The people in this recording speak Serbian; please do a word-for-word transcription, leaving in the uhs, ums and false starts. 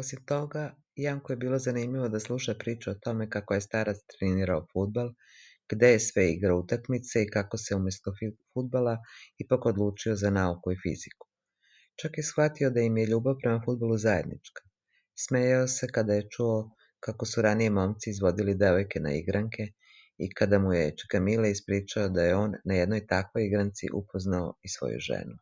Osim toga, Janku je bilo zanimljivo da sluša priču o tome kako je starac trenirao fudbal, gde je sve igrao utakmice i kako se umjesto fudbala ipak odlučio za nauku i fiziku. Čak je shvatio da im je ljubav prema fudbalu zajednička. Smejao se kada je čuo kako su ranije momci izvodili devojke na igranke i kada mu je čika Mile ispričao da je on na jednoj takvoj igranci upoznao i svoju ženu.